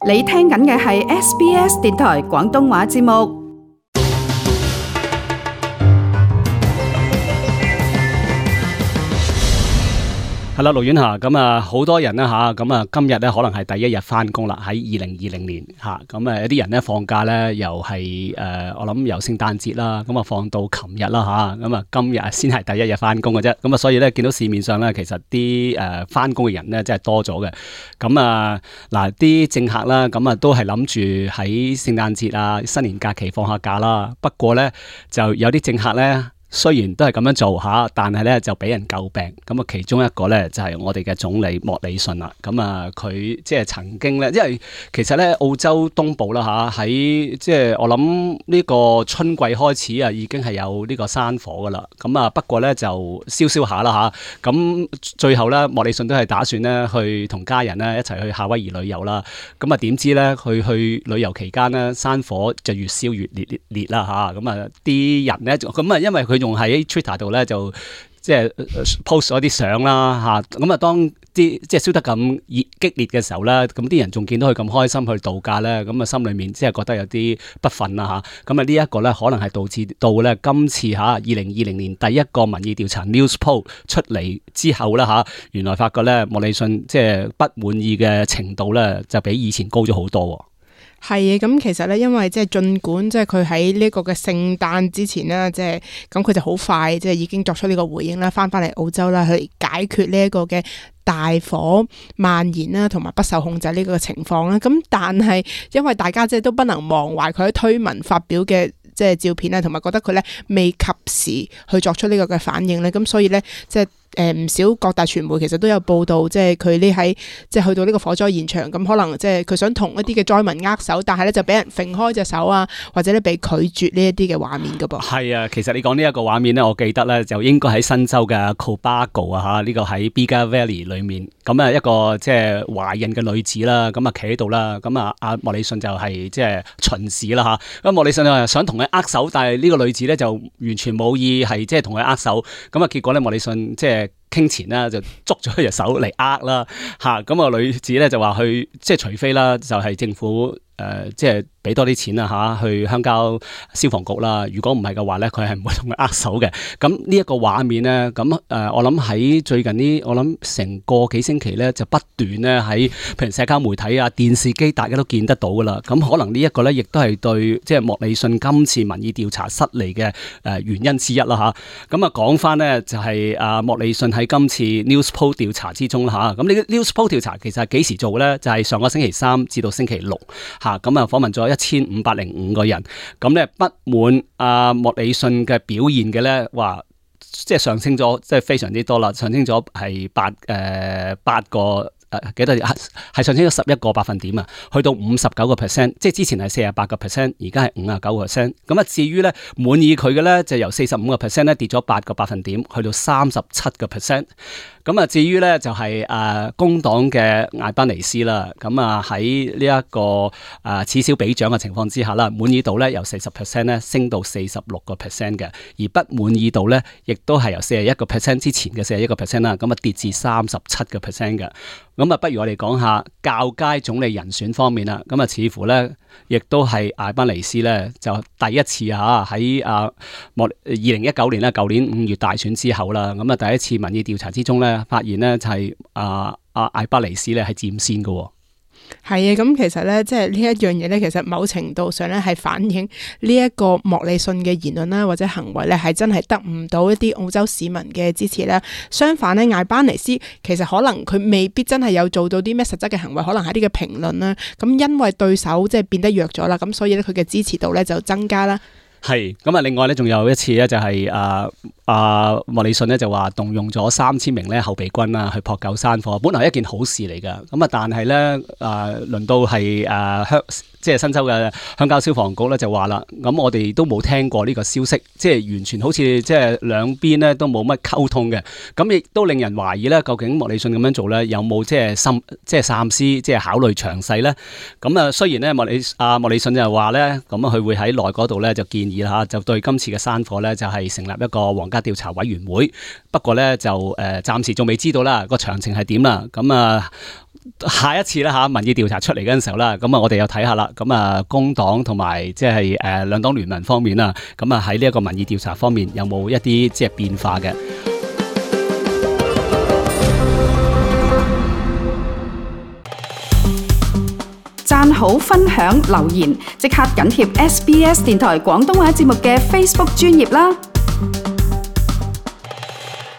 你聽緊嘅係 SBS 電台廣東話節目。係啦，盧婉霞，咁啊，好多人啦吓，咁啊，今日咧可能係第一日翻工啦，喺2020年吓，咁啊，有啲人咧放假咧，又係我諗由聖誕節啦，咁啊放到琴日啦吓，咁啊今日先係第一日翻工嘅啫，咁啊，所以咧見到市面上咧，其實啲翻工嘅人咧真係多咗嘅，咁啊嗱，啲政客啦，咁啊都係諗住喺聖誕節啊、新年假期放下假啦，不過咧就有啲政客咧。雖然都係咁樣做吓，但係咧就俾人詬病。咁啊，其中一個咧就係我哋嘅總理莫里遜啦。咁啊，佢即係曾經咧，因為其實咧澳洲東部啦吓，喺即係我諗呢個春季開始啊，已經係有呢個山火噶啦。咁啊，不過咧就燒下啦吓。咁最後咧，莫里遜都係打算咧去同家人咧一齊去夏威夷旅遊啦。咁啊，點知咧去旅遊期間咧，山火就越燒越烈啦吓。咁啊，啲人咧咁啊，因為佢仲喺 Twitter 度咧就即係 post 咗啲相啦嚇，咁啊當啲即係燒得咁激烈嘅時候咧，咁啲人仲見到佢咁開心去度假咧，咁啊心裏面即係覺得有啲不忿啦嚇，咁啊呢一個咧可能係導致到咧今次嚇2020年第一個民意調查 News Poll 出嚟之後咧嚇，原來發覺咧莫里遜即係不滿意嘅程度咧就比以前高咗好多。係啊，咁其實咧，因為即係儘管即係佢喺呢個嘅聖誕之前啦，即係咁佢就好快即係已經作出呢個回應啦，翻嚟澳洲啦，去解決呢一個嘅大火蔓延啦，同埋不受控制呢個情況啦。咁但係因為大家即係都不能忘懷佢喺推文發表嘅即係照片啦，同埋覺得佢咧未及時去作出呢個嘅反應咧，咁所以咧即係唔少各大傳媒其實都有報道，即係佢呢喺即係去到呢個火災現場，咁可能即係佢想同一啲嘅災民握手，但係咧就俾人揈開隻手啊，或者咧被拒絕呢一啲嘅畫面噶噃。係啊，其實你講呢一個畫面咧，我記得咧就應該喺新州嘅 Cobargo 啊嚇，呢個喺 Bega Valley 裏面，咁啊一個即係懷孕嘅女子啦，咁啊企喺度啦，咁啊阿莫里遜就係即係巡視啦嚇，咁莫里遜就想同佢握手，但係呢個女子咧就完全冇意係即係同佢握手，咁啊結果咧莫里遜即係傾前啦，就捉咗佢隻手嚟握啦嚇，咁啊女子咧就話去即係除非啦，就係政府即係俾多啲錢啊嚇，去鄉郊消防局啦。如果唔係嘅話咧，佢係唔會同佢握手嘅。咁呢一個畫面咧，咁我諗喺最近呢，我諗成個幾星期咧，就不斷咧喺譬如社交媒體啊、電視機，大家都見得到噶啦。咁可能呢一個咧，亦都係對即係莫里遜今次民意調查失利嘅原因之一啦嚇。咁啊講翻咧，就係莫里遜喺今次 News Poll 調查之中啦嚇。咁呢個 News Poll 調查其實係幾時做咧？就係上個星期三至到星期六嚇。咁啊訪問咗1505個人，咁咧不滿莫里遜嘅表現嘅咧，話即係上升咗，即係非常之多啦，上升咗係八個。幾多係上升咗11個百分點啊，去到59%，即係之前係48%，而家係59%。咁啊，至於咧滿意佢嘅咧，就由45%咧跌咗8個百分點，去到37%。咁啊，至於咧就係工黨嘅艾班尼斯啦，咁啊喺呢一個此消彼長嘅情況之下啦，滿意度咧由40%咧升到46% 嘅，而不滿意度咧亦都係由41% 之前嘅41% 啦，咁啊跌至37% 嘅。咁啊，不如我哋講下較佳總理人選方面啦。咁啊，似乎咧，亦都係艾班尼斯咧，就第一次喺2019年啦，舊年5月大選之後啦，咁啊第一次民意調查之中咧，發現咧就係艾班尼斯咧係佔先嘅。係啊，咁其實咧，即係呢一樣嘢咧，其實某程度上咧係反映呢一個莫里遜嘅言論啦，或者行為咧，係真係得唔到一啲澳洲市民嘅支持啦。相反咧，艾班尼斯其實可能佢未必真係有做到啲咩實質嘅行為，可能係啲嘅評論啦。咁因為對手即係變得弱咗啦，咁所以咧佢嘅支持度咧就增加啦。係咁啊！另外咧，仲有一次咧，就係莫里遜咧就話動用咗3000名咧後備軍啊去撲救山火，本來係一件好事嚟㗎。咁啊，但係咧輪到係即係新州嘅鄉郊消防局咧就話啦，咁我哋都冇聽過呢個消息，即係完全好似即係兩邊咧都冇乜溝通嘅。咁亦都令人懷疑咧，究竟莫里遜咁樣做咧有冇即係三思，即係考慮詳細咧？咁啊，雖然咧莫里遜就話咧，咁佢會喺內嗰度咧就建議啦嚇，就對今次嘅山火咧就係成立一個皇家調查委員會。不過咧就暫時仲未知道啦個詳情係點啦。咁下一次啦嚇民意調查出嚟嗰陣時候啦，咁啊我哋又睇下啦，咁啊工黨同埋即係兩黨聯盟方面啊，咁啊喺呢一個民意調查方面有冇一啲即係變化嘅？讚好、分享、留言，即刻緊貼SBS 電台廣東話節目嘅 Facebook 專頁啦！